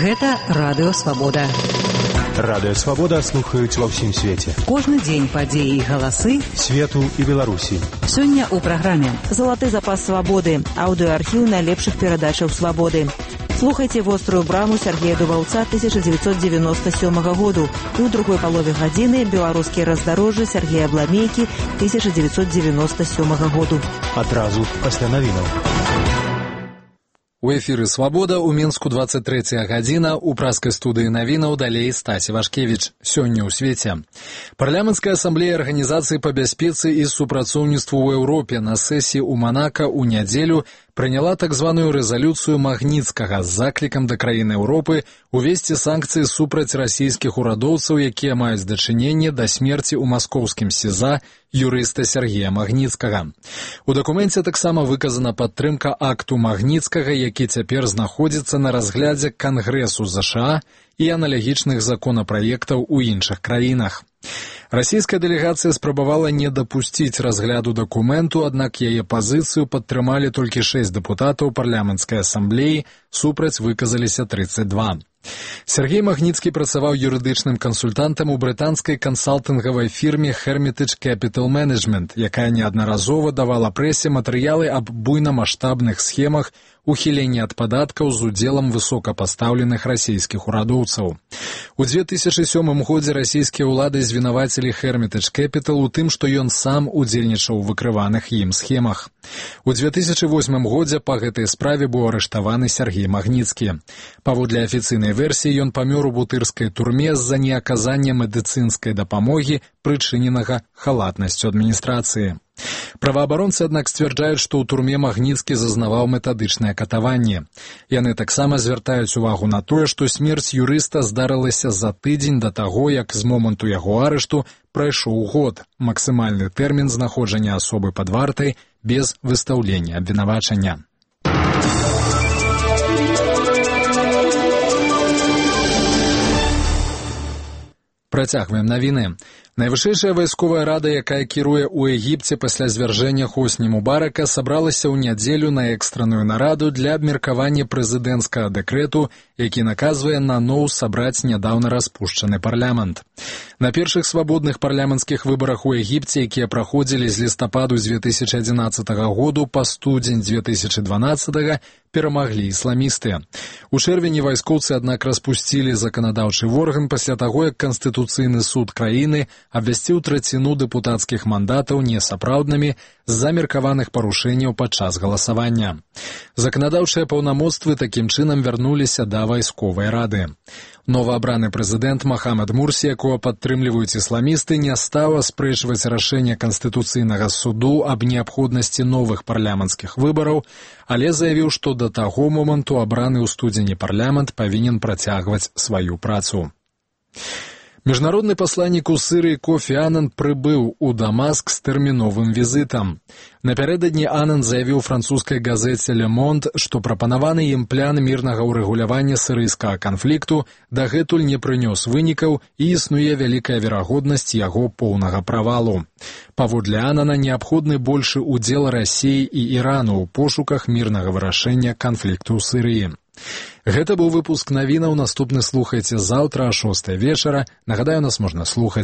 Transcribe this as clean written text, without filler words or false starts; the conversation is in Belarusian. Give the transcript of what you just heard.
Гэта Радыё Свабода. Радыё Свабода слухаюць ва ўсім свеце. Кожны дзень падзеі і галасы свету і Беларусі. Сёння ў праграме «Залаты запас свабоды», аўдыоархіў найлепшых перадачаў свабоды. Слухайце «Вострую браму» Сергея Дувалца 1997 году і ў другой палове гадзіны «Беларускія раздарожжы» Сергея Бламейкі 1997 году. Адразу пасля навінаў. У эфіры «Свабода» у Мінску 23 гадзіна, у праскай студыі навінаў далей Стасі Вашкевіч. Сёння ў свеце. Парламенцкая асамблея Арганізацыі па бяспецы і супрацоўніцтву ў Еўропе на сесіі ў Манака ў нядзелю прыняла так званую рэзалюцыю Магніцкага з заклікам да краін Еўропы увесці санкцыі супраць расійскіх урадоўцаў, якія маюць дачыненне да смерці ў маскоўскім СІЗА юрыста Сергея Магніцкага. У дакуменце таксама выказана падтрымка акту Магніцкага, які цяпер знаходзіцца на разглядзе Кангрэсу ЗША і аналагічных законапраектаў у іншых краінах. Расійская дэлегацыя спрабавала не дапусціць разгляду дакументу, аднак яе пазіцыю падтрымалі толькі 6 дэпутатаў парламенцкай асамблеі, супраць выказаліся 32. Сергей Магніцкі працаваў юрыдычным кансультантам у брытанскай кансалтынгавай фірме Hermitage Capital Management, якая неаднаразова давала прэсе матэрыялы аб буйнамаштабных схемах ухілення ад падаткаў з удзелам высокапастаўленых расійскіх урадоўцаў. У 2007 годзе расійскія ўлады звінавацілі Hermitage Capital у тым, што ён сам удзельнічаў у выкрываных ім схемах. У 2008 годзе па гэтай справе быў арыштаваны Сергей Магніцкі. Паводле афіцыйнай версіі ён памёр у бутырскай турме з-за неаказання медыцынскай дапамогі, прычыненага халатнасцю адміністрацыі. Праваабаронцы, аднак, сцвярджаюць, што ў турме Магніцкі зазнаваў метадычнае катаванне. Яны таксама звяртаюць увагу на тое, што смерць юрыста здарылася за тыдзень да таго, як з моманту яго арышту прайшоў год, максімальны тэрмін знаходжання асобы пад вартай без выстаўлення абвінавачання. Працягваем навіны. Найвышэйшая вайсковая рада, якая кіруе ў Егіпце пасля звяржэння Хосні Мубарака, сабралася ў нядзелю на экстранную нараду для абмеркавання прэзідэнцкага дэкрэту, які наказвае наноў сабраць нядаўна распушчаны парламент. На першых свабодных парламенцкіх выбарах у Егіпце, якія праходзілі з лістападу 2011 году па студзень 2012, перамаглі ісламісты. У чэрвені вайскоўцы, аднак, распусцілі заканадаўчы орган пасля таго, як Канстытуцыйны суд краіны абвясціў траціну дэпутацкіх мандатаў несапраўднымі з-за меркаваных парушэнняў падчас галасавання. Заканадаўчыя паўнамоцтвы такім чынам вярнуліся да вайсковай рады. Новаабраны прэзідэнт Махамад Мурсі, якога падтрымліваюць ісламісты, не стаў аспрэчваць рашэнне Канстытуцыйнага суду аб неабходнасці новых парламенцкіх выбараў, але заявіў, што да таго моманту абраны ў студзені парламент павінен працягваць сваю працу. Міжнародны пасланнік у Сірыі Кофі Анан прыбыў у Дамаск з тэрміновым візітам. Напярэдадні Анан заявіў французскай газеце «Le Monde», што прапанаваны ім план мірнага ўрэгулявання сірыйскага канфлікту дагэтуль не прынёс вынікаў і існуе вялікая верагоднасць яго поўнага правалу. Паводле Анана неабходны большы удзел Расіі і Ірану ў пошуках мірнага вырашэння канфлікту ў Сірыі. Гэта быў выпуск навінаў. Наступны слухайце заўтра о 6 вечара. Нагадаю, нас можна слухаць